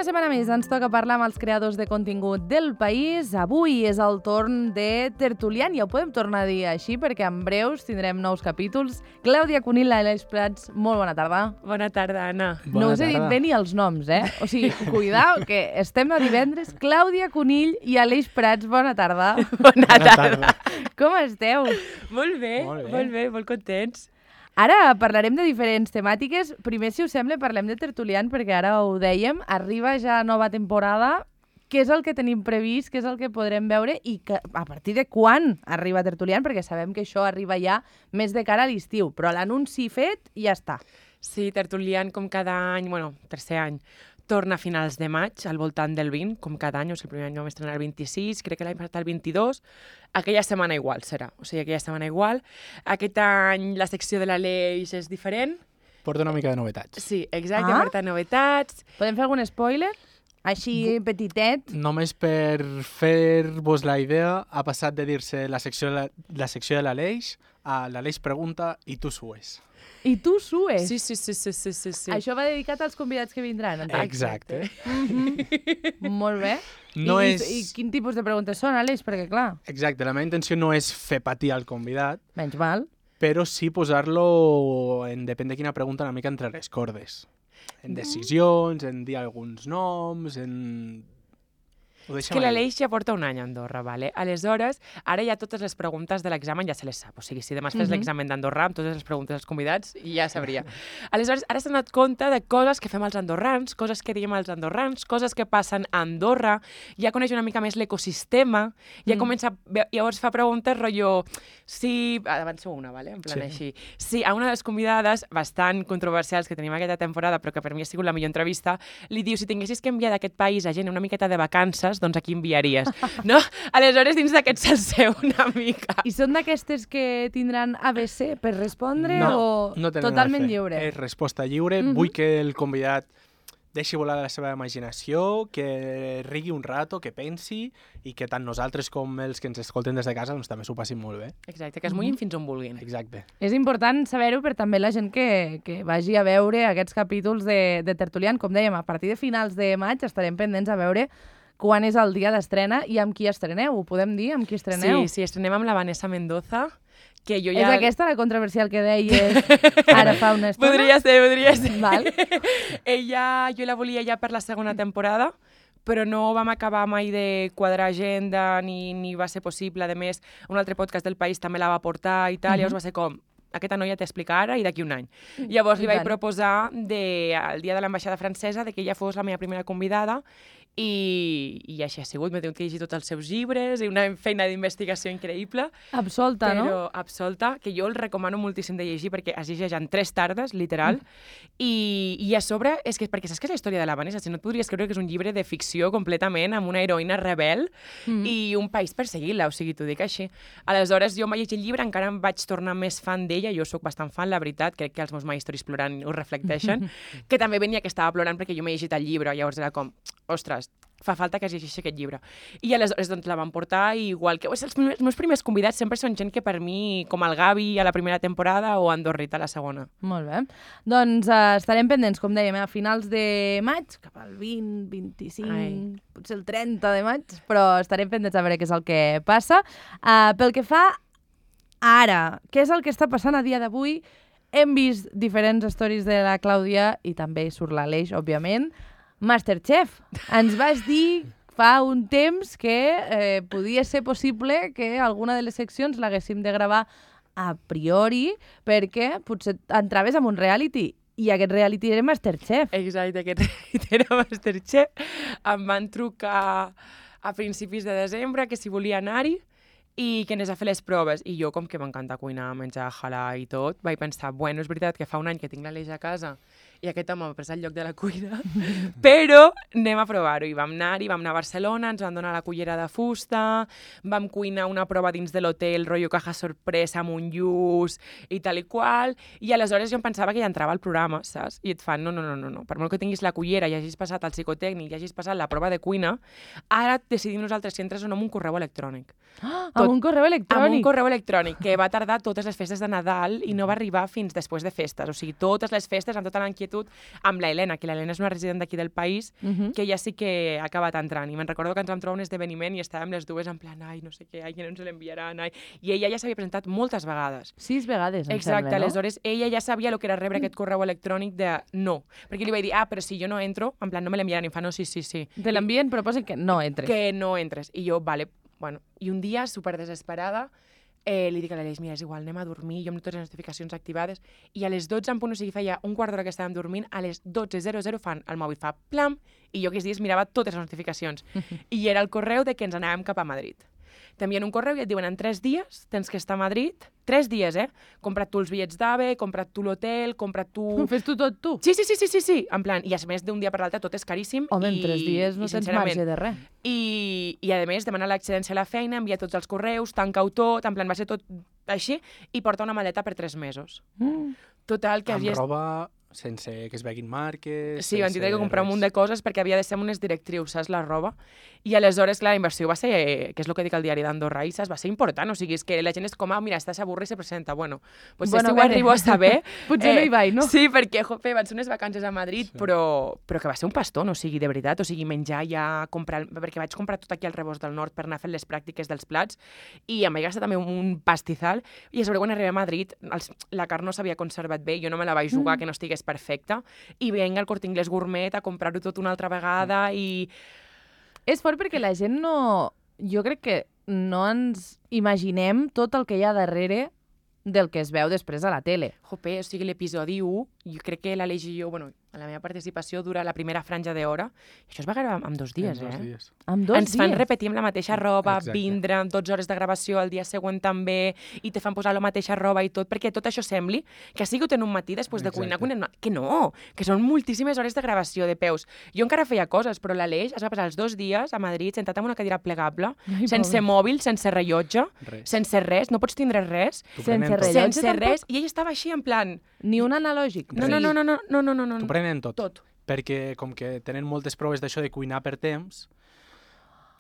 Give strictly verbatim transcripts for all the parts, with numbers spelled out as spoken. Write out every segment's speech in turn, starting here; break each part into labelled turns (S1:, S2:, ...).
S1: una setmana més ens toca parlar amb els creadors de contingut del país. Avui és el torn de Tertulian, ja ho podem tornar a dir així, perquè en breus tindrem nous capítols. Clàudia Cunill, Aleix Prats, molt bona tarda.
S2: Bona tarda, Anna.
S1: Bona no us he dit bé ni els noms, eh? O sigui, cuidao, que estem a divendres. Clàudia Cunill i Aleix Prats, bona tarda.
S2: Bona tarda.
S1: Com esteu?
S2: Molt bé,
S3: molt bé,
S2: molt bé, molt contents.
S1: Ara parlarem de diferents temàtiques. Primer, si us sembla, parlem de Tertulian, perquè ara ho dèiem, arriba ja nova temporada. Què és el que tenim previst, què és el que podrem veure i que, a partir de quan arriba Tertulian, perquè sabem que això arriba ja més de cara a l'estiu, però l'anunci fet i ja està.
S2: Sí, Tertulian, com cada any, bueno, tercer any, torna a finals de maig, al voltant del vint, com cada any, o sigui, el primer any vam estrenar el vint-i-sis, crec que l'any passat el vint-i-dos, aquella setmana igual serà, o sigui, aquella setmana igual. Aquest any la secció de l'Aleix és diferent.
S3: Porta una mica de novetats.
S2: Sí, exacte,
S1: Ah.
S2: porta novetats.
S1: Podem fer algun spoiler? Així, petitet.
S3: Només per fer-vos la idea, ha passat de dir-se la secció de la, la secció de l'Aleix a l'Aleix pregunta i tu sues.
S1: I tu sues.
S2: Sí, sí, sí, sí, sí, sí, sí.
S1: Això va dedicat als convidats que vindran. entenc?
S3: Exacte.
S1: Mhm. Molt bé.
S3: No
S1: I,
S3: és...
S1: I quin tipus de preguntes són, Aleix? Perquè, clar,
S3: Exacte, la meva intenció no és fer patir al convidat,
S1: menys mal.
S3: però sí posar-lo, en depèn de quina pregunta, una mica entre les cordes. En decisions, en dir alguns noms, en... Ho
S2: És
S3: deixem
S2: que
S3: ahí.
S2: l'Aleix ja porta un any a Andorra, vale? Aleshores, ara ja totes les preguntes de l'examen ja se les sap. O sigui, si demà fes
S1: Mhm.
S2: l'examen d'Andorra amb totes les preguntes dels convidats, ja sabria. Aleshores, ara s'ha donat compte de coses que fem els andorrans, coses que diem als andorrans, coses que passen a Andorra, ja coneix una mica més l'ecosistema, ja
S1: Mm.
S2: comença... a ve- Llavors fa preguntes rotllo... Si... Avanço una, vale? En plan
S3: Sí.
S2: així. Si a una de les convidades, bastant controversials que tenim aquesta temporada, però que per mi ha sigut la millor entrevista, li diu, si tinguessis que enviar d'aquest país a gent una miqueta de vacances, doncs aquí enviaries, no? Aleshores, dins d'aquest salseu una mica.
S1: I són d'aquestes que tindran A B C per respondre
S3: No,
S1: o
S3: no tenen
S1: totalment
S3: A B C.
S1: lliure?
S3: És resposta lliure.
S1: Mhm.
S3: Vull que el convidat deixi volar la seva imaginació, que rigui un rato, que pensi i que tant nosaltres com els que ens escolten des de casa doncs, també s'ho passin molt bé.
S2: Exacte, que es mullin fins on vulguin.
S3: Exacte.
S1: És important saber-ho per també la gent que, que vagi a veure aquests capítols de, de Tertulian. Com dèiem, a partir de finals de maig estarem pendents a veure quan és el dia d'estrena i amb qui estreneu. Ho podem dir? Amb qui estreneu?
S2: Sí, sí, estrenem amb la Vanessa Mendoza, que jo
S1: És
S2: ja...
S1: aquesta la controversial que deies ara fa una estona?
S2: Podria ser, podria ser.
S1: Val.
S2: Ella, jo la volia ja per la segona temporada, però no vam acabar mai de quadrar agenda ni, ni va ser possible. A més, un altre podcast del País també la va portar i tal,
S1: Mhm.
S2: llavors va ser com, aquesta noia t'explica ara i d'aquí un any. Llavors
S1: I
S2: li vaig
S1: tant.
S2: proposar de, el dia de l'ambaixada francesa de que ella fos la meva primera convidada i, i així ha sigut. M'he tingut que llegir tots els seus llibres i una feina d'investigació increïble.
S1: Absolta,
S2: però
S1: no?
S2: absolta, que jo el recomano moltíssim de llegir perquè es llegeix en tres tardes, literal, mm. i, i a sobre, és que perquè saps que és la història de la Vanessa, si no et podries creure que és un llibre de ficció completament, amb una heroïna rebel
S1: Mm.
S2: i un país perseguint-la, o sigui, t'ho dic així. Aleshores, jo em vaig llegir el llibre, encara em vaig tornar més fan d'ella, jo sóc bastant fan, la veritat, crec que els meus My Stories plorant ho reflecteixen, que també venia que estava plorant perquè jo m'he llegit el llibre, llavors era com, ostres, fa falta que es llegeixi aquest llibre. I aleshores doncs, la van portar i igual que... Els meus, els meus primers convidats sempre són gent que per mi, com el Gavi a la primera temporada o Andorrita a la segona.
S1: Molt bé. Doncs uh, estarem pendents, com dèiem, a finals de maig, cap al vint, vint-i-cinc,
S2: Ai.
S1: potser el trenta de maig, però estarem pendents a veure què és el que passa. Uh, pel que fa ara, què és el que està passant a dia d'avui? Hem vist diferents stories de la Clàudia i també surt l'Aleix, òbviament. Masterchef, ens vas dir fa un temps que eh, podia ser possible que alguna de les seccions l'haguéssim de gravar a priori perquè potser entraves en un reality i aquest reality era Masterchef.
S2: Exacte, aquest era Masterchef. Em van trucar a principis de desembre que si volia anar-hi i que anés a fer les proves. I jo, com que m'encanta cuinar, menjar, halar i tot, vaig pensar, bueno, és veritat que fa un any que tinc l'Aleix a casa i aquest home m'ha pres el lloc de la cuina, però anem a provar-ho. I vam anar-hi, vam anar a Barcelona, ens van donar la cullera de fusta, vam cuinar una prova dins de l'hotel, rotllo caja sorpresa amb un lluç i tal i qual, i aleshores jo em pensava que ja entrava al programa, saps? I et fan, no, no, no, no, no. Per molt que tinguis la cullera i hagis passat el psicotècnic i hagis passat la prova de cuina, ara decidim nosaltres si entres o no amb un correu electrònic.
S1: Ah,
S2: Tot-
S1: amb un correu electrònic.
S2: amb un correu electrònic que va tardar totes les festes de Nadal i no va arribar fins després de festes. O sigui, totes les festes, amb tota l'inquietud, amb la Helena, que la Helena és una resident d'aquí del país,
S1: Uh -huh.
S2: que ella sí que ha acabat entrant. I me'n recordo que ens vam trobar un esdeveniment i estàvem les dues en plan, ai, no sé què, ai, que no ens l'enviaran, ai... I ella ja s'havia presentat moltes vegades.
S1: Sis vegades, em
S2: Exacte,
S1: sembla, no?
S2: aleshores ella ja sabia el que era rebre aquest correu electrònic de no. Perquè li vaig dir, ah, però si jo no entro, en plan, no me l'enviaran. I em fa, no, sí, sí, sí.
S1: Te l'envien, però posen que no entres.
S2: Que no entres. I jo, vale, bueno. I un dia, super desesperada, eh, li dic a l'Aleix, mira, és igual, anem a dormir, jo amb totes les notificacions activades, i a les dotze en punt, o sigui, feia un quart d'hora que estàvem dormint, a les dotze zero zero fan, el mòbil fa plam, i jo aquells dies mirava totes les notificacions. I era el correu de que ens anàvem cap a Madrid. T'envien un correu i et diuen, en tres dies tens que estar a Madrid, tres dies, eh? Compra't tu els bitllets d'AVE, compra't tu l'hotel, compra't tu...
S1: Fes tu tot tu?
S2: Sí, sí, sí, sí, sí, sí, en plan, i a més d'un dia per l'altre tot és caríssim.
S1: Home,
S2: i,
S1: en tres dies no
S2: i,
S1: tens
S2: sincerament,
S1: marge de res.
S2: I, I, a més, demana l'excedència a la feina, envia tots els correus, tanca-ho tot, en plan, va ser tot així, i porta una maleta per tres mesos.
S1: Mm.
S2: Total, que
S3: Amb
S2: havia...
S3: roba sense que es veguin marques...
S2: Sí, van tindre que comprar un munt
S3: res.
S2: de coses perquè havia de ser amb unes directrius, saps, la roba. I aleshores, clar, la inversió va ser, eh, que és el que dic al diari d'Andorra, i saps, va ser important. O sigui, és que la gent és com, ah, mira, està s'avorre i se presenta. Bueno, pues
S1: Bueno,
S2: si
S1: a
S2: ho
S1: veure.
S2: arribo a saber...
S1: Potser no hi vaig, no?
S2: Sí, perquè, jope, van ser unes vacances a Madrid,
S3: Sí.
S2: però, però que va ser un pastó, no? O sigui, de veritat, o sigui, menjar ja, comprar... Perquè vaig comprar tot aquí al Rebost del Nord per anar fent les pràctiques dels plats, i em vaig gastar també un pastizal, i a sobre quan arribé a Madrid, els, la carn no s'havia conservat bé, jo no me la vaig jugar, mm. que no estigués perfecta, i venga al Corte Inglés Gourmet a comprar-ho tot una altra vegada i...
S1: És fort perquè la gent no... Jo crec que no ens imaginem tot el que hi ha darrere del que es veu després a la tele.
S2: Jope, o sigui, l'episodi u, jo crec que l'Aleix i jo, bueno, la meva participació dura la primera franja d'hora, i això es va gravar en dos dies,
S3: En dos
S2: eh?
S3: dies.
S1: Amb dos
S2: Ens fan
S1: dies.
S2: repetir amb la mateixa roba,
S3: Exacte.
S2: vindre amb dotze hores de gravació el dia següent també, i te fan posar la mateixa roba i tot, perquè tot això sembli que ha sigut en un matí després de cuinar,
S3: Exacte.
S2: cuinar... Que no, que són moltíssimes hores de gravació de peus. Jo encara feia coses, però l'Aleix es va passar els dos dies a Madrid sentat en una cadira plegable,
S1: Ai,
S2: sense
S1: pobre.
S2: mòbil, sense rellotge,
S3: Res.
S2: sense res, no pots tindre res,
S3: T'ho
S1: sense
S3: prenen tot.
S1: rellotge
S2: sense
S1: tampoc?
S2: res, i ell estava així en plan...
S1: Ni un analògic.
S2: No, no, no, no, no, no, no, no, no.
S3: T'ho prenen tot.
S2: Tot.
S3: Perquè com que tenen moltes proves d'això de cuinar per temps,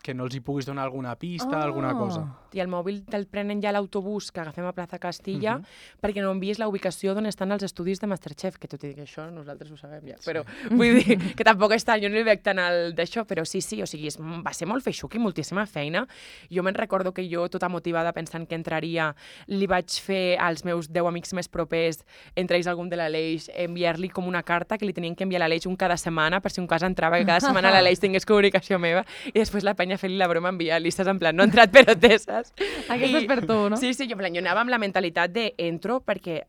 S3: que no els hi puguis donar alguna pista,
S1: Ah.
S3: alguna cosa.
S2: I el mòbil te'l prenen ja a l'autobús que agafem a Plaza Castilla
S3: Mhm.
S2: perquè no envies la ubicació d'on estan els estudis de Masterchef, que tot i que això nosaltres ho sabem ja, però vull dir que tampoc està, jo no li veig tant el d'això, però sí, sí, o sigui, és, va ser molt feixuc i moltíssima feina. Jo me'n recordo que jo, tota motivada, pensant que entraria, li vaig fer als meus deu amics més propers, entre ells algun de l'Aleix, enviar-li com una carta que li tenien que enviar a l'Aleix un cada setmana, per si un cas entrava, que cada setmana l'Aleix tingués comunicació meva, i després la penya fent-li la broma, enviar-li, saps, en plan, no ha entrat però té, saps?
S1: Aquesta és per tu, no?
S2: Sí, sí, jo, en plan, jo anava amb la mentalitat de entro perquè...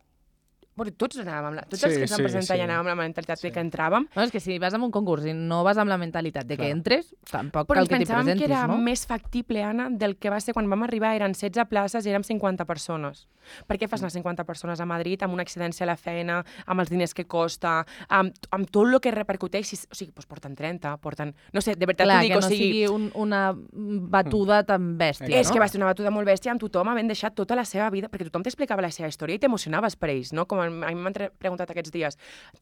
S2: Bueno, tots anàvem amb la... Tots els
S3: Sí,
S2: que es van
S3: sí,
S2: presentar
S3: sí.
S2: ja anàvem amb la mentalitat
S3: Sí.
S2: de que entràvem,
S1: No, és que si vas a un concurs i no vas amb la mentalitat de que
S3: Clar.
S1: entres, tampoc
S2: però
S1: cal
S2: ens
S1: que t'hi
S2: pensàvem
S1: presentis,
S2: que era
S1: no?
S2: més factible, Anna, del que va ser quan vam arribar. Eren setze places i érem cinquanta persones. Per què fas anar cinquanta persones a Madrid amb una excedència a la feina, amb els diners que costa, amb, amb tot el que repercuteix? O sigui, doncs porten trenta, porten... No sé, de veritat
S1: Clar,
S2: t'ho dic,
S1: que
S2: o
S1: no
S2: sigui...
S1: sigui un, una batuda tan bèstia,
S3: Exacte.
S2: És
S1: no?
S2: que va ser una batuda molt bèstia amb tothom havent deixat tota la seva vida, perquè tothom t'explicava la seva història i t'emocionaves per ells, no? Com a mi m'han tre- preguntat aquests dies,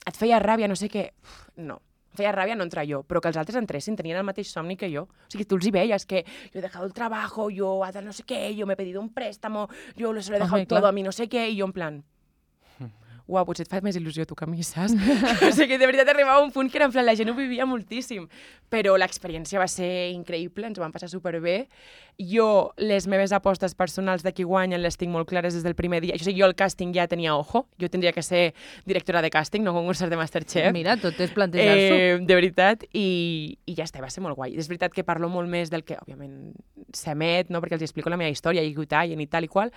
S2: et feia ràbia, no sé què... Uf, no, em feia ràbia no entrar jo, però que els altres entressin, tenien el mateix somni que jo. O sigui, tu els hi veies que yo he dejado el trabajo, yo hago no sé qué, yo me he pedido un préstamo, yo se lo he dejado
S1: Home,
S2: todo
S1: clar.
S2: a mi no sé què, i jo en plan... Uau, potser et fa més il·lusió tu que a mi, saps? O sigui, de veritat arribava a un punt que era en plan, la gent ho vivia moltíssim. Però l'experiència va ser increïble, ens ho vam passar superbé. Jo, les meves apostes personals de qui guanyen les tinc molt clares des del primer dia. O sigui, jo el càsting ja tenia ojo, jo tindria que ser directora de càsting, no concursar de Masterchef.
S1: Mira, tot és plantejar-s'ho.
S2: Eh, de veritat, i, i ja està, va ser molt guai. És veritat que parlo molt més del que, òbviament, s'emet, no? Perquè els explico la meva història, i tallen i tal i qual,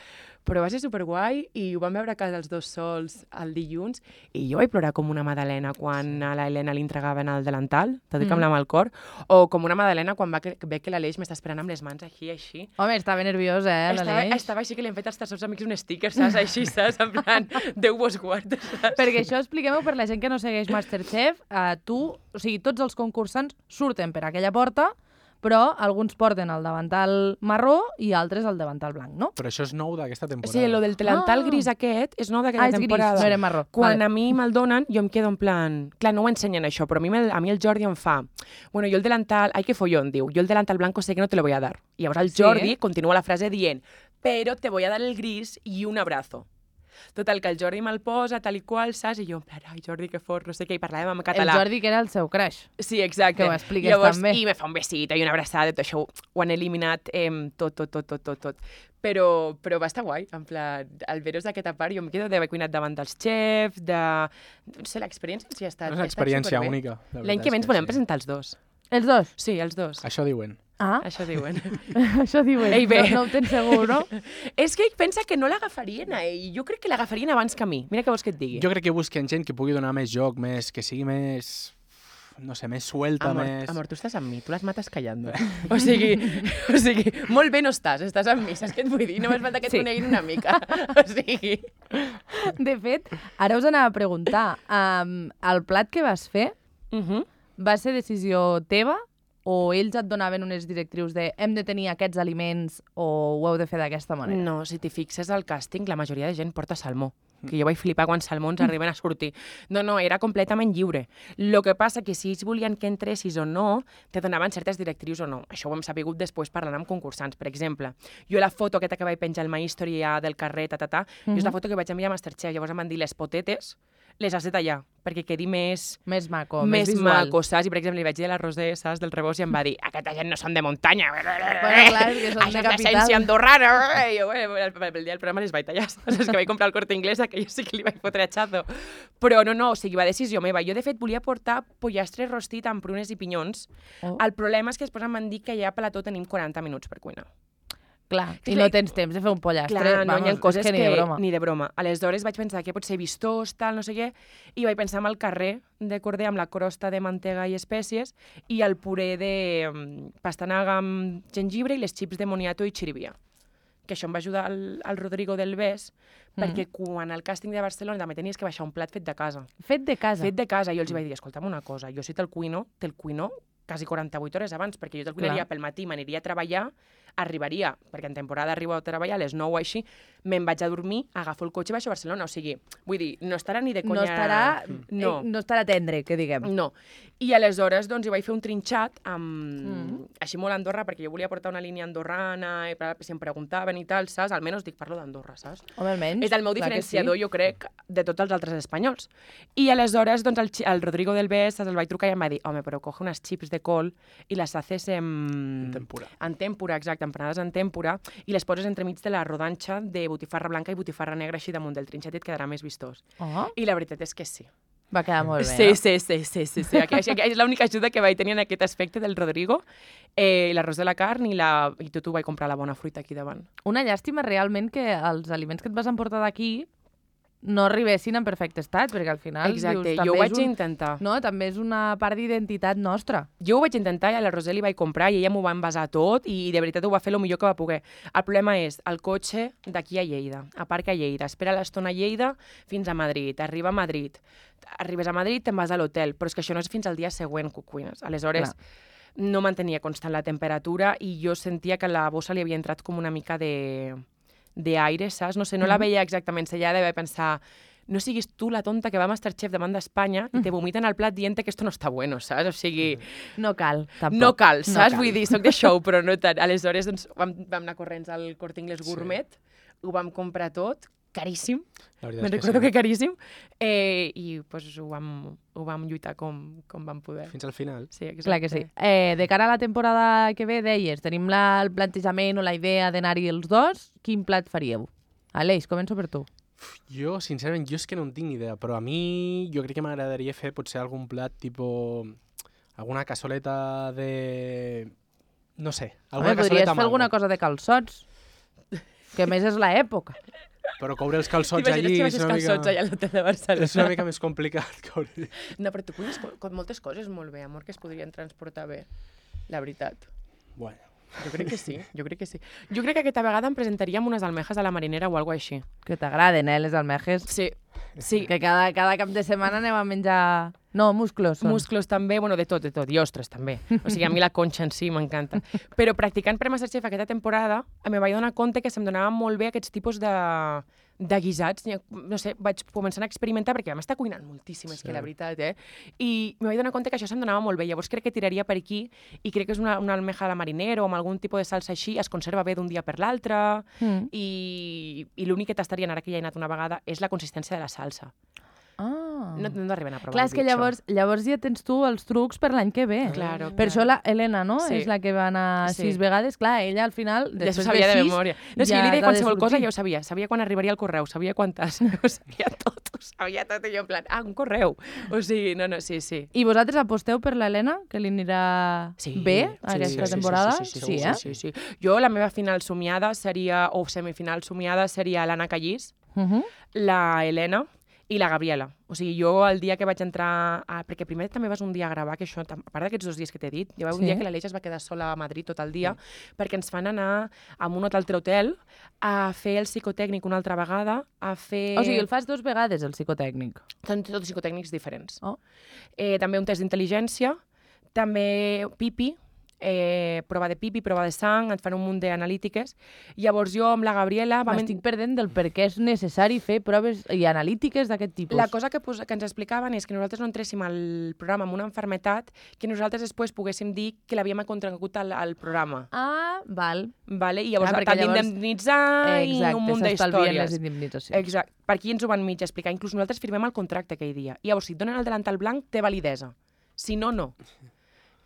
S2: però va ser superguai i ho vam veure a casa els dos sols el dilluns i jo vaig plorar com una Madalena quan a la Helena li entregaven el delantal, t'ho dic
S1: Mm.
S2: amb la mà al cor, o com una Madalena quan va que, ve que l'Aleix m'està esperant amb les mans així, així.
S1: Home, estava nerviosa, eh,
S2: Estava,
S1: l'Aleix?
S2: estava així que li han fet als seus amics un sticker, saps? Així, saps? En plan, Déu vos guarda, saps?
S1: Perquè això expliquem-ho per la gent que no segueix Masterchef. Uh, tu, o sigui, tots els concursants surten per aquella porta, però alguns porten el davantal marró i altres el davantal blanc, no?
S3: Però això és nou d'aquesta temporada.
S2: Sí, lo del delantal
S1: Ah.
S2: gris aquest és nou d'aquella
S1: Ah, és gris,
S2: temporada.
S1: no era marró.
S2: Quan
S1: Vale.
S2: a mi me'l donen, jo em quedo en plan... Clar, no ho ensenyen això, però a mi, me'l- a mi el Jordi em fa... Bueno, yo el delantal... Ay, que follón, diu. Yo el delantal blanco sé que no te lo voy a dar. I llavors el
S1: Sí,
S2: Jordi
S1: eh?
S2: continua la frase dient pero te voy a dar el gris y un abrazo. Total, que el Jordi me'l posa, tal i qual, saps? I jo, en plan, ai, Jordi, que fort, no sé què, i parlàvem en
S1: El
S2: català.
S1: Jordi, que era el seu crush.
S2: Sí, exacte.
S1: Que ho expliques
S2: Llavors,
S1: també.
S2: I me fa un besito i una abraçada, tot això ho han eliminat eh, tot, tot, tot, tot, tot, tot. Però, però va estar guai, en plan, al veros d'aquesta part, jo em quedo d'haver cuinat davant dels xefs, de... No sé, l'experiència sí ha estat,
S3: És una
S2: ha estat
S3: experiència
S2: superbé.
S3: única. la
S2: L'any
S3: veritat
S2: que ve
S3: és
S2: ens volem
S3: sí.
S2: presentar els dos.
S1: Els dos?
S2: Sí, els dos.
S3: Això diuen.
S1: Ah,
S2: Això diuen.
S1: això diuen.
S2: Ei, bé.
S1: No, no ho tens segur, no?
S2: És que ell pensa que no l'agafarien a ell. Jo crec que l'agafarien abans que a mi. Mira què vols que et digui.
S3: Jo crec que busquen gent que pugui donar més joc, més, que sigui més... no sé, més suelta,
S2: Amor,
S3: més...
S2: amor, tu estàs amb mi, tu les mates callando. o sigui, o sigui, molt bé no estàs, estàs amb mi, saps què et vull dir? Només falta que et
S1: Sí.
S2: coneguin una mica. O sigui...
S1: De fet, ara us anava a preguntar, um, el plat que vas fer
S2: Uh -huh.
S1: va ser decisió teva o ells et donaven unes directrius de hem de tenir aquests aliments o ho heu de fer d'aquesta manera?
S2: No, si t'hi fixes al càsting, la majoria de gent porta salmó. Que jo vaig flipar quan salmons arriben a sortir. No, no, era completament lliure. Lo que passa que si ells volien que entressis o no, te donaven certes directrius o no. Això ho hem sabut després parlant amb concursants. Per exemple, jo la foto aquesta que vaig penjar al My History del carrer, ta, ta, ta, jo és la foto que vaig enviar a Masterchef. Llavors em van dir les potetes les has de tallar perquè quedi més...
S1: Més maco,
S2: més
S1: més visual.
S2: maco, saps? I, per exemple, li vaig dir a la Roser, saps, del Rebost, i em va dir aquesta gent no són de muntanya.
S1: Bueno, clar, és que són
S2: Això
S1: de
S2: és
S1: capital.
S2: l'essència andorrana. I jo, bueno, el, el dia del programa les vaig tallar, saps? És que vaig comprar el Corte Inglés, que jo sí que li vaig fotre atxazo. Però no, no, o sigui, va decisió meva. Jo, de fet, volia portar pollastre rostit amb prunes i pinyons.
S1: Oh.
S2: El problema és que després em van dir que ja a plató tenim quaranta minuts per cuinar.
S1: Clar,
S2: Sí,
S1: i no tens temps de fer un pollastre.
S2: Clar, no,
S1: Vamos,
S2: hi ha coses
S1: és que, ni de broma.
S2: Ni de broma. Aleshores vaig pensar que pot ser vistós, tal, no sé què, i vaig pensar en el carrer de corder amb la crosta de mantega i espècies i el puré de um, pastanaga amb gengibre i les xips de moniato i xirivia. Que això em va ajudar al, al Rodrigo del Bes,
S1: Mm.
S2: perquè quan al càsting de Barcelona també tenies que baixar un plat fet de casa.
S1: Fet de casa.
S2: Fet de casa. I jo els vaig dir, escolta'm una cosa, jo si te'l cuino, te'l cuino quasi quaranta-vuit hores abans, perquè jo te'l cuinaria
S1: Clar.
S2: pel matí, m'aniria a treballar, arribaria, perquè en temporada arribo a treballar a les nou o així, me'n vaig a dormir, agafo el cotxe i baixo a Barcelona. O sigui, vull dir, no estarà ni de conya...
S1: No estarà,
S2: No.
S1: eh, no estarà tendre, que diguem.
S2: No. I aleshores, doncs, hi vaig fer un trinxat amb...
S1: Mm.
S2: així molt Andorra, perquè jo volia portar una línia andorrana, i si em preguntaven i tal, saps? Almenys dic, parlo d'Andorra, saps?
S1: Home, almenys.
S2: És el meu
S1: clar que
S2: diferenciador,
S1: sí.
S2: jo crec, de tots els altres espanyols. I aleshores, doncs, el, xi- el Rodrigo del Bes el vaig trucar i em va dir, home, però coge unes xips de col i les haces en...
S3: En tempura.
S2: En tempura, exacte, empanades en tempura, i les poses entremig de la rodanxa de botifarra blanca i botifarra negra així damunt del trinxet i et quedarà més vistós.
S1: Oh,
S2: I la veritat és que sí.
S1: va quedar molt bé,
S2: sí,
S1: no?
S2: sí, sí, sí, sí, sí. Aquí, aquí és l'única ajuda que vaig tenir en aquest aspecte del Rodrigo, eh, l'arròs de la carn i, la, i tot ho vaig comprar la bona fruita aquí davant.
S1: Una llàstima realment que els aliments que et vas emportar d'aquí no arribessin en perfecte estat, perquè al final
S2: Exacte,
S1: dius, també
S2: jo ho vaig
S1: és un...
S2: intentar.
S1: No, també és una part d'identitat nostra.
S2: Jo ho vaig intentar i a la Roser li vaig comprar i ella m'ho va envasar tot i de veritat ho va fer el millor que va poder. El problema és el cotxe d'aquí a Lleida, aparca a Lleida, espera l'estona a Lleida fins a Madrid, arriba a Madrid, arribes a Madrid, te'n vas a l'hotel, però és que això no és fins al dia següent que ho cuines. Aleshores,
S1: Clar.
S2: no mantenia constant la temperatura i jo sentia que a la bossa li havia entrat com una mica de d'aire, saps? No sé, no la veia exactament sellada i vaig pensar no siguis tu la tonta que va a Masterchef davant d'Espanya i te vomiten al plat dient que esto no està bueno, saps? O sigui,
S1: No cal, tampoc.
S2: no cal, saps?
S1: cal.
S2: Vull dir, soc de show, però no tant. Aleshores, doncs, vam, vam anar corrents al Corte Inglés Gourmet, ho vam comprar tot, caríssim,
S3: La veritat
S2: me'n
S3: és
S2: recordo
S3: sí.
S2: que caríssim, eh, i pues, ho, vam, ho vam lluitar com, com vam poder.
S3: Fins al final.
S2: Sí, exacte.
S1: Clar que sí. Eh, de cara a la temporada que ve, deies, tenim la, el plantejament o la idea d'anar-hi els dos. Quin plat faríeu? Aleix, començo per tu.
S3: Jo, sincerament, jo és que no en tinc ni idea, però a mi jo crec que m'agradaria fer potser algun plat tipo... alguna cassoleta de... no sé, alguna
S1: Home, podries
S3: cassoleta
S1: fer
S3: amb
S1: alguna
S3: algo.
S1: cosa de calçots, que a més és l'època.
S3: Però coure els calçots
S2: T'imagines
S3: allí
S2: que
S3: és
S2: baixes
S3: una,
S2: calçots allà
S3: mica...
S2: a l'hotel de Barcelona?
S3: és una mica més complicat. Coure.
S2: No, però tu cuines co- con moltes coses molt bé, amor, que es podrien transportar bé, la veritat.
S3: Bueno,
S2: Jo crec que sí, jo crec que sí. Jo crec que aquesta vegada em presentaríem unes almejas a la marinera o alguna així.
S1: Que t'agraden, eh, les almejes.
S2: Sí, sí.
S1: Que cada, cada cap de setmana anem a menjar... No, musclos són.
S2: Musclos també, bueno, de tot, de tot, i ostres també. O sigui, a mi la conxa en si m'encanta. Però practicant per Masterchef aquesta temporada, em vaig donar compte que se'm donaven molt bé aquests tipus de, de guisats. No sé, vaig començar a experimentar, perquè vam estar cuinant moltíssim, és sí. que la veritat, eh? I em vaig donar compte que això se'm donava molt bé. Llavors crec que tiraria per aquí, i crec que és una, una almeja a la marinera o amb algun tipus de salsa així, es conserva bé d'un dia per l'altre, mm. i, i l'únic que tastaria, ara que ja he anat una vegada, és la consistència de la salsa.
S1: Ah.
S2: No, no arriben a provar.
S1: Clar, és que llavors, llavors ja tens tu els trucs per l'any que ve.
S2: Claro,
S1: per
S2: claro.
S1: això la Helena, no?
S2: Sí.
S1: És la que va anar
S2: Sí.
S1: sis vegades. Clar, ella al final,
S2: Ja s'ho
S1: després
S2: sabia
S1: de
S2: de
S1: sis,
S2: memòria. No, és
S1: ja
S2: que jo li deia
S1: t'ha de
S2: qualsevol cosa,
S1: sortir.
S2: ja ho sabia. Sabia quan arribaria el correu, sabia quantes, ho sabia tot, ho sabia tot, i jo en plan, ah, un correu. O sigui, no, no, sí, sí.
S1: I vosaltres aposteu per l'Helena, que li anirà
S2: Sí,
S1: bé
S2: sí,
S1: aquesta
S2: sí, sí,
S1: temporada?
S2: Sí, sí, sí,
S1: sí,
S2: sí,
S1: eh?
S2: sí, sí, sí. Jo, la meva final somiada seria, o semifinal somiada, seria l'Anna Callís,
S1: Uh -huh.
S2: la Helena i la Gabriela. O sigui, jo el dia que vaig entrar... A... Perquè primer també vas un dia a gravar, que això, a part d'aquests dos dies que t'he dit, hi va un
S1: Sí.
S2: dia que l'Aleix es va quedar sola a Madrid tot el dia, sí. perquè ens fan anar a un altre hotel a fer el psicotècnic una altra vegada, a fer...
S1: O sigui, el fas dos vegades, el psicotècnic.
S2: Són tots psicotècnics diferents.
S1: Oh.
S2: Eh, també un test d'intel·ligència, també pipi, eh, prova de pipi, prova de sang, et fan un munt d'analítiques. Llavors jo amb la Gabriela... vam
S1: M'estic perdent del per què és necessari fer proves i analítiques d'aquest tipus.
S2: La cosa que, pues, que ens explicaven és que nosaltres no entréssim al programa amb una enfermetat, que nosaltres després poguéssim dir que l'havíem contragut al, al programa.
S1: Ah, val.
S2: Vale? I llavors
S1: Ah,
S2: ah,
S1: perquè
S2: t'han
S1: llavors-
S2: d'indemnitzar i un munt
S1: s'estalvien les
S2: d'històries.
S1: indemnitzacions.
S2: Exacte. Per aquí ens ho van mig explicar. Inclús nosaltres firmem el contracte aquell dia. I llavors, si et donen el delantal blanc, té validesa. Si no, no.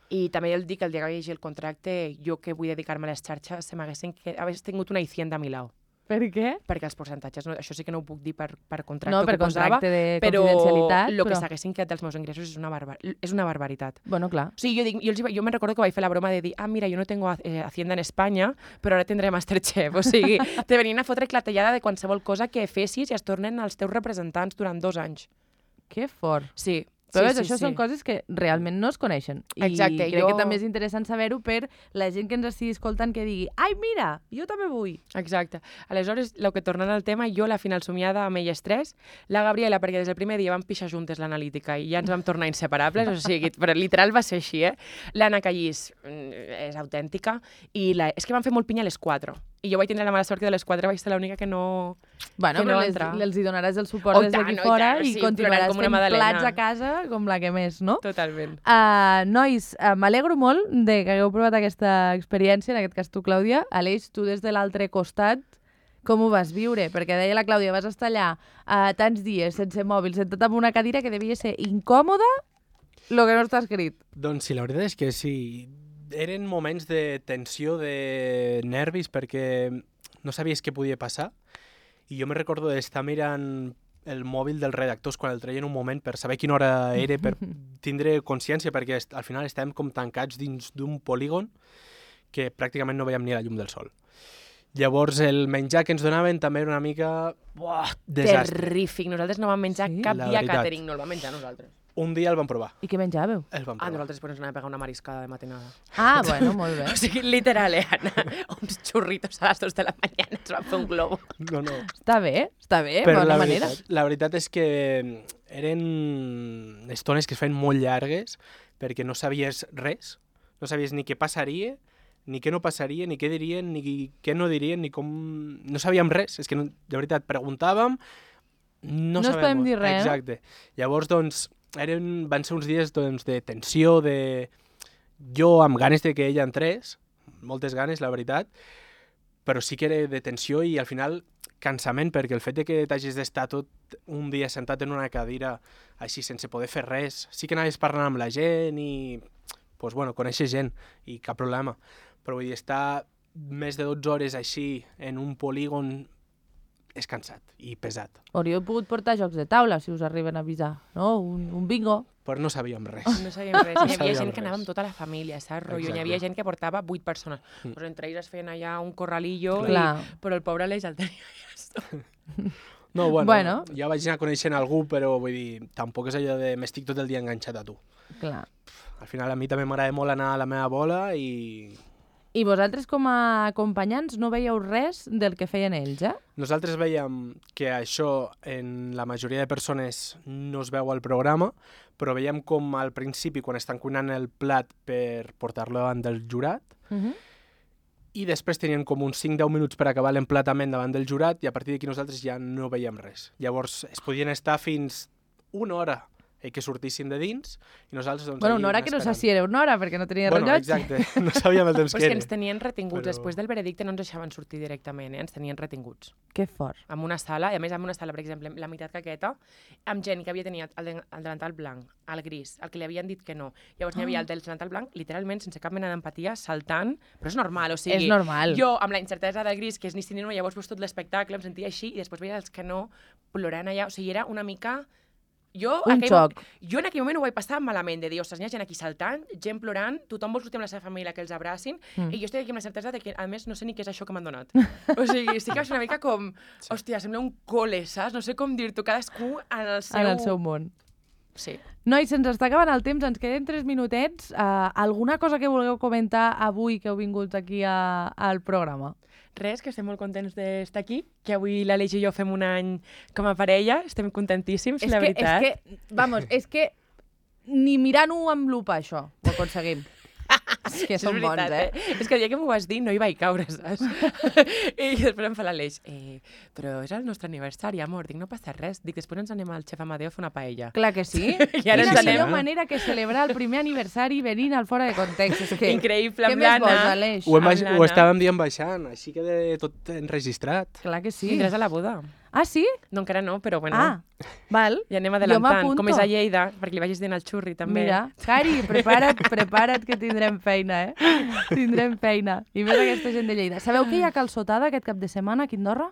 S2: I també el dic que el dia que vaig llegir el contracte, jo que vull dedicar-me a les xarxes, se m'haguessin que... hagués tingut una Hacienda a mi lau.
S1: Per què?
S2: Perquè els percentatges, no, això sí que no ho puc dir per, per contracte
S1: No, per
S2: que posava,
S1: contracte de
S2: però
S1: confidencialitat,
S2: el que
S1: però-
S2: s'haguessin quedat dels meus ingressos és una, barbar és una barbaritat.
S1: Bueno, clar.
S2: O sigui, jo, dic, jo, els, hi va- jo me'n recordo que vaig fer la broma de dir, ah, mira, jo no tengo eh, Hacienda en Espanya, però ara tindré Masterchef. O sigui, te venien a fotre clatellada de qualsevol cosa que fessis i es tornen els teus representants durant dos anys.
S1: Que fort.
S2: Sí.
S1: Però
S2: sí,
S1: ves,
S2: sí,
S1: això
S2: sí.
S1: són coses que realment no es coneixen. I
S2: Exacte,
S1: crec
S2: jo-
S1: que també és interessant saber-ho per la gent que ens estigui escoltant que digui ai, mira, jo també vull.
S2: Exacte. Aleshores, el que tornant al tema, jo la final somiada amb elles tres, la Gabriela, perquè des del primer dia vam pixar juntes l'analítica i ja ens vam tornar inseparables, o sigui, però literal va ser així, eh? L'Anna Callís mm, és autèntica i la... és que van fer molt pinya a les quatre. I jo vaig tindre la mala sort que de les quatre vaig ser l'única que no...
S1: Bueno,
S2: que no
S1: però
S2: va
S1: les,
S2: entrar.
S1: els hi donaràs el suport
S2: Oh,
S1: des
S2: tant,
S1: d'aquí
S2: oh,
S1: fora
S2: tant,
S1: i
S2: sí,
S1: continuaràs
S2: plorant com una
S1: fent
S2: magdalena.
S1: plats a casa com la que més, no?
S2: Totalment.
S1: Uh, nois, uh, m'alegro molt de que hagueu provat aquesta experiència, en aquest cas tu, Clàudia. Aleix, tu des de l'altre costat, com ho vas viure? Perquè deia la Clàudia, vas estar allà uh, tants dies sense mòbil, sentat en una cadira que devia ser incòmoda, lo que no està escrit.
S3: Doncs sí, la veritat és que sí. Eren moments de tensió, de nervis, perquè no sabies què podia passar. I jo me recordo d'estar mirant el mòbil dels redactors quan el treien un moment per saber quina hora era, per tindre consciència, perquè est- al final estàvem com tancats dins d'un polígon que pràcticament no veiem ni la llum del sol. Llavors, el menjar que ens donaven també era una mica... Buah, desastre.
S2: Terrífic. Nosaltres no vam menjar
S1: Sí?
S2: cap
S3: La
S2: dia
S3: veritat.
S2: catering, no el vam menjar nosaltres.
S3: Un dia el vam provar.
S1: I què menjàveu?
S3: El vam
S2: Ah,
S3: provar.
S2: nosaltres després ens anàvem a pegar una mariscada de matinada.
S1: Ah, bueno, molt bé.
S2: O sigui, literal, eh, Anna? Uns xurritos a les dos de la mañana ens van fer un globo.
S3: No, no.
S1: Està bé, està bé,
S3: Però
S1: bona
S3: la
S1: manera.
S3: veritat, la veritat és que eren estones que es feien molt llargues perquè no sabies res. No sabies ni què passaria, ni què no passaria, ni què dirien, ni què no dirien, ni com... No sabíem res. És que, no, de veritat, preguntàvem... No,
S1: No es
S3: sabem
S1: podem dir res, no?
S3: Exacte. Llavors, doncs, eren, van ser uns dies doncs, de tensió, de... Jo amb ganes de que ella entrés, moltes ganes, la veritat, però sí que era de tensió i al final cansament, perquè el fet de que t'hagis d'estar tot un dia sentat en una cadira així sense poder fer res, sí que anaves parlant amb la gent i, pues, bueno, conèixer gent i cap problema, però vull dir, estar més de dotze hores així en un polígon és cansat i pesat,
S1: Hauríeu pogut portar jocs de taula, si us arriben a avisar, no? Un, un bingo.
S3: però no sabíem res.
S2: No sabíem res. Hi havia
S3: sabíem
S2: gent que
S3: res.
S2: anava amb tota la família, saps? Rotllo? Hi
S3: Exacte.
S2: havia gent que portava vuit persones.
S3: Mm.
S2: Pues entre ells es feien allà un corralillo, i...
S1: Clar.
S2: però el pobre Aleix el tenia ja esto.
S3: No, bueno,
S1: Bueno.
S3: ja vaig anar coneixent algú, però vull dir, tampoc és allò de m'estic tot el dia enganxat a tu.
S1: Clar.
S3: Al final a mi també m'agrada molt anar a la meva bola i...
S1: I vosaltres com a acompanyants no veieu res del que feien ells, eh?
S3: Nosaltres veiem que això en la majoria de persones no es veu al programa, però veiem com al principi, quan estan cuinant el plat per portar-lo davant del jurat,
S1: Uh -huh.
S3: i després tenien com uns cinc deu minuts per acabar l'emplatament davant del jurat i a partir d'aquí nosaltres ja no veiem res. Llavors es podien estar fins una hora i que sortissin de dins i nosaltres doncs,
S1: Bueno,
S3: allí
S1: una hora que no sé
S3: esperant.
S1: si era una hora, perquè no tenia
S3: Bueno,
S1: rellotge.
S3: exacte, no sabíem el temps
S2: Pues
S3: que
S2: que
S3: era.
S2: ens tenien retinguts.
S3: Però-
S2: Després del veredicte no ens deixaven sortir directament, eh? Ens tenien retinguts.
S1: Que fort.
S2: En una sala, i a més en una sala, per exemple, la meitat caqueta, amb gent que havia tenit el, de, el delantal blanc, el gris, el que li havien dit que no. Llavors n'hi havia el del delantal blanc, literalment, sense cap mena d'empatia, saltant, però és normal, o sigui...
S1: És normal.
S2: Jo, amb la incertesa del gris, que és ni sí ni no, llavors veus tot l'espectacle, em sentia així, i després veia els que no, plorant allà, o sigui, era una mica... Jo,
S1: Un
S2: aquell
S1: xoc.
S2: mo- jo en aquell moment ho vaig passar malament, de dir, ostres, n'hi ha gent aquí saltant, gent plorant, tothom vol sortir amb la seva família que els abracin,
S1: Mm.
S2: i jo estic aquí amb la certesa de que, a més, no sé ni què és això que m'han donat. O sigui, sí que va ser una mica com, hòstia, sembla un col·le, saps? No sé com dir-t'ho, cadascú en el seu...
S1: En el seu món.
S2: Sí.
S1: Nois, se'ns està acabant el temps, ens queden tres minutets. Uh, alguna cosa que vulgueu comentar avui que heu vingut aquí a, al programa?
S2: Res, que estem molt contents d'estar aquí, que avui l'Aleix i jo fem un any com a parella, estem contentíssims,
S1: És
S2: la
S1: que,
S2: veritat.
S1: és que, vamos, és que ni mirant-ho amb lupa, això, ho aconseguim. És que
S2: És
S1: són bons,
S2: veritat,
S1: eh?
S2: És que el dia que m'ho vas dir no hi vaig caure, saps? I després em fa l'Aleix, eh, però és el nostre aniversari, amor. Dic, no passa res. Dic, després ens anem al xef Amadeo a fer una paella.
S1: Clar que sí.
S2: I ara
S1: Quina
S2: ens
S1: millor
S2: anem.
S1: manera que celebrar el primer aniversari venint al fora de context. És que...
S2: Increïble,
S1: Què
S2: amb
S1: més
S2: l'Anna.
S1: vols, Aleix?
S3: Ho, hem,
S2: Amb
S3: baix-
S2: l'Anna.
S3: ho estàvem dient baixant, així que de tot enregistrat.
S1: Clar que sí.
S2: Vindràs a la boda.
S1: Ah, sí?
S2: No, encara no, però bueno.
S1: Ah, val.
S2: Ja anem
S1: Jo
S2: adelantant.
S1: m'apunto.
S2: Com és a Lleida, perquè li vagis dient al xurri, també.
S1: Mira, Cari, prepara't, prepara't que tindrem feina, eh? Tindrem feina. I més aquesta gent de Lleida. Sabeu que hi ha calçotada aquest cap de setmana aquí a Andorra?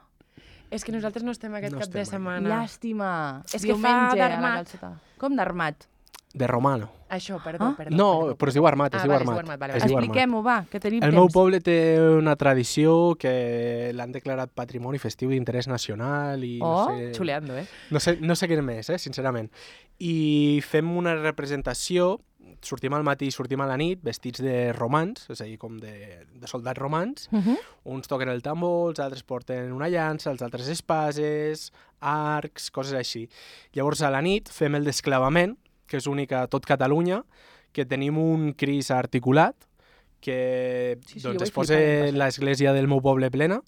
S2: És que nosaltres no estem aquest
S3: No
S2: cap de
S3: estem,
S2: setmana.
S1: Llàstima.
S2: És que fa
S1: Diumenge, a la
S2: d'armat.
S1: calçotada. Com d'armat?
S3: De romano.
S2: Això, perdó,
S1: Ah?
S2: perdó.
S3: No,
S2: perdó.
S3: però es diu armat, es
S2: Ah,
S3: diu
S2: vale, es
S3: armat.
S2: diu armat, vale,
S3: Es
S2: vale.
S3: diu armat.
S1: Expliquem-ho, va, que tenim
S3: El
S1: temps.
S3: meu poble té una tradició que l'han declarat patrimoni festiu d'interès nacional i
S1: Oh,
S3: no sé...
S2: Xuleando, eh?
S3: No sé, no sé què més, eh, sincerament. I fem una representació, sortim al matí i sortim a la nit, vestits de romans, és a dir, com de, de soldats romans.
S1: Uh -huh.
S3: Uns toquen el tambor, els altres porten una llança, els altres espases, arcs, coses així. Llavors, a la nit fem el desclavament, que és únic a tot Catalunya, que tenim un cris articulat, que
S2: Sí, sí, jo
S3: doncs,
S2: vaig
S3: es posa
S2: flipar l'any passat.
S3: l'església del meu poble plena.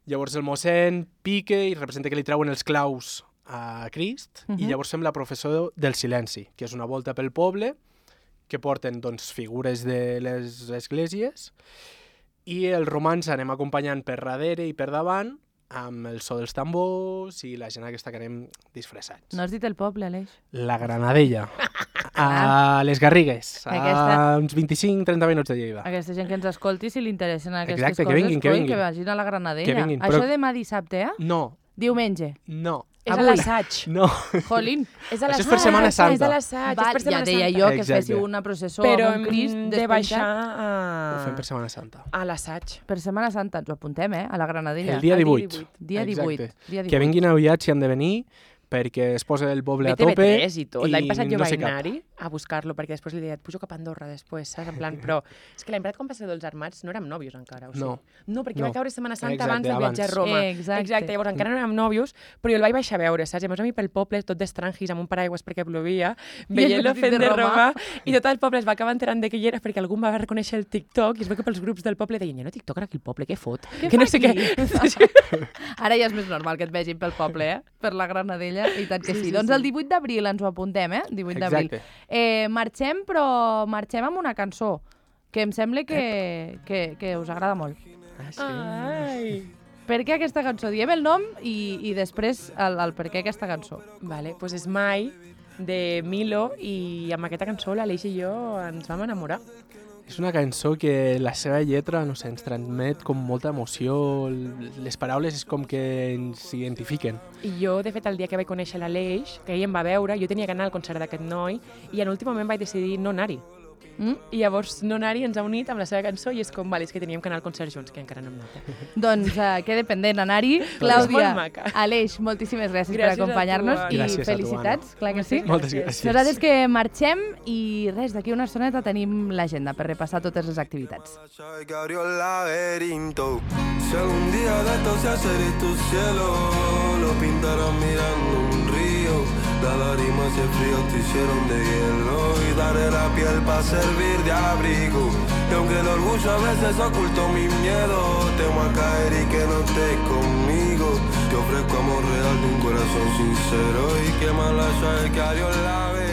S3: Llavors el mossèn pica i representa que li treuen els claus a Crist,
S1: Mhm.
S3: i llavors fem la professó del silenci, que és una volta pel poble, que porten doncs, figures de les esglésies, i els romans anem acompanyant per darrere i per davant, amb el so dels tambors i la gent aquesta que anem disfressats.
S1: No has dit el poble, Aleix.
S3: La Granadella, a les Garrigues, a
S1: Aquesta-
S3: uns vint-i-cinc trenta minuts de Lleida.
S1: Aquesta gent que ens escolti, si li interessen aquestes
S3: Exacte, que
S1: coses,
S3: vinguin, que
S1: coi,
S3: vinguin.
S1: que vagin a la Granadella.
S3: Que vinguin,
S1: Això
S3: però-
S1: demà dissabte, eh?
S3: No,
S1: Diumenge.
S3: no,
S2: És a
S1: Avui.
S2: l'assaig.
S3: no.
S1: Jolín.
S2: És a
S3: Això és
S2: l'assaig.
S3: per Setmana Santa.
S2: És a l'assaig,
S1: Va,
S2: és per
S1: ja
S2: Setmana
S1: deia
S2: Santa.
S1: jo que
S3: Exacte.
S1: féssiu una processó
S2: Però
S1: amb un Crist
S2: hem de
S1: despenjat.
S2: baixar
S3: Ho
S2: a...
S3: fem per Setmana Santa.
S2: a l'assaig.
S1: Per Setmana Santa, ens ho apuntem, eh? A la Granadella.
S3: El dia
S2: el dia
S3: divuit.
S2: divuit.
S1: Dia divuit.
S3: Exacte.
S1: Dia divuit.
S3: Que vinguin aviat si han de venir, perquè es posa el poble a
S2: B T V
S3: tope.
S2: tres i tot. L'any passat jo
S3: no
S2: vaig
S3: sé cap.
S2: anar-hi a buscar-lo, perquè després li deia, et pujo cap a Andorra després, saps? En plan, però és que l'any passat quan va ser dels armats no érem nòvios encara, o sigui.
S3: No.
S2: No, perquè
S3: No.
S2: va caure Setmana Santa
S3: Exacte,
S2: abans del viatge a
S3: abans.
S2: Roma.
S1: Eh, exacte.
S2: Exacte, llavors encara no érem nòvios, però jo el vaig baixar a veure, saps? I llavors a mi pel poble, tot d'estrangis, amb un paraigües perquè plovia, veient
S1: el
S2: la
S1: vestit
S2: fent
S1: de
S2: de
S1: Roma.
S2: Roma, i tot el poble es va acabar enterant de què hi era perquè algú va reconèixer el TikTok, i es veu que pels grups del poble deien, ja no TikTok aquí el poble, què fot?
S1: Què
S2: que
S1: fa
S2: no sé
S1: aquí?
S2: què.
S1: Ara ja és més normal que et vegin pel poble, eh? Per la Granadella, i tant que sí.
S2: Sí, sí,
S1: doncs
S2: sí.
S1: el divuit d'abril ens ho apuntem, eh? divuit d'abril.
S3: Exacte.
S1: Eh, marxem, però marxem amb una cançó que em sembla que, que, que us agrada molt.
S3: Ah, sí.
S2: Ai.
S1: Per què aquesta cançó? Diem el nom i, i després el, el per què aquesta cançó.
S2: Vale, doncs pues és Mai, de Milo, i amb aquesta cançó l'Aleix i jo ens vam enamorar.
S3: És una cançó que la seva lletra, no sé, ens transmet com molta emoció, les paraules és com que ens identifiquen.
S2: I jo, de fet, el dia que vaig conèixer l'Aleix, que ell em va veure, jo tenia que anar al concert d'aquest noi, i en últim moment vaig decidir no anar-hi.
S1: Mm?
S2: I llavors no anar-hi ens ha unit amb la seva cançó i és com, vale, és que teníem que anar al concert junts, que encara no hem anat. Eh?
S1: Doncs uh, quede pendent anar-hi.
S2: És
S1: Clàudia,
S2: molt maca.
S1: Aleix, moltíssimes gràcies,
S2: Gràcies
S1: per acompanyar-nos
S2: a tu,
S1: i
S3: Gràcies a tu,
S1: felicitats, clar que sí.
S3: Moltes gràcies.
S1: Nosaltres que marxem i res, d'aquí una estoneta tenim l'agenda per repassar totes les activitats.
S4: Que abrió el laberinto. Si algún día de esto se hace tu cielo, lo pintarán mirando un río. La lágrima y el frío te hicieron de hielo y daré la piel para servir de abrigo. Y aunque el orgullo a veces ocultó mi miedo, temo a caer y que no estés conmigo. Te ofrezco amor real de un corazón sincero y que más la llave que abrió el laberinto.